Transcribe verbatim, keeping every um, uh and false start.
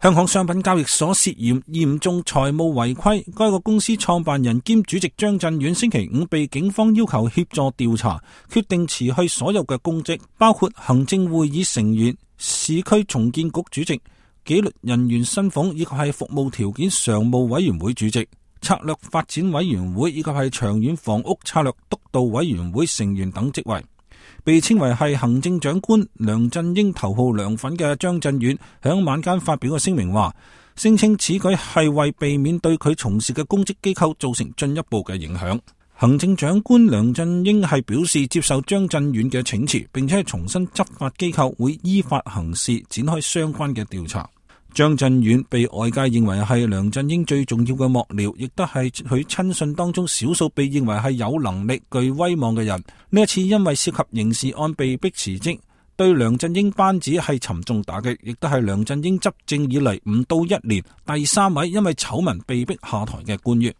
香港商品交易所涉嫌嚴重財務違規，該個公司創辦人兼主席張震遠星期五被警方要求協助調查，決定辭去所有嘅公職，包括行政會議成員、市區重建局主席、紀律人員薪俸以及係服務條件常務委員會主席、策略發展委員會以及係長遠房屋策略督導委員會成員等職位。被稱為係行政長官梁振英頭號梁粉嘅張震遠響晚間發表嘅聲明話，聲稱此舉係為避免對佢從事嘅公職機構造成進一步嘅影響。行政長官梁振英係表示接受張震遠嘅請辭，並且係重申執法機構會依法行事，展開相關嘅調查。張震遠被外界認為係梁振英最重要嘅幕僚，亦都係佢親信當中少數被認為係有能力、具威望嘅人。呢一次因為涉及刑事案被逼辭職，對梁振英班子係沉重打擊，亦都係梁振英執政以嚟唔到一年第三位因為醜聞被逼下台嘅官員。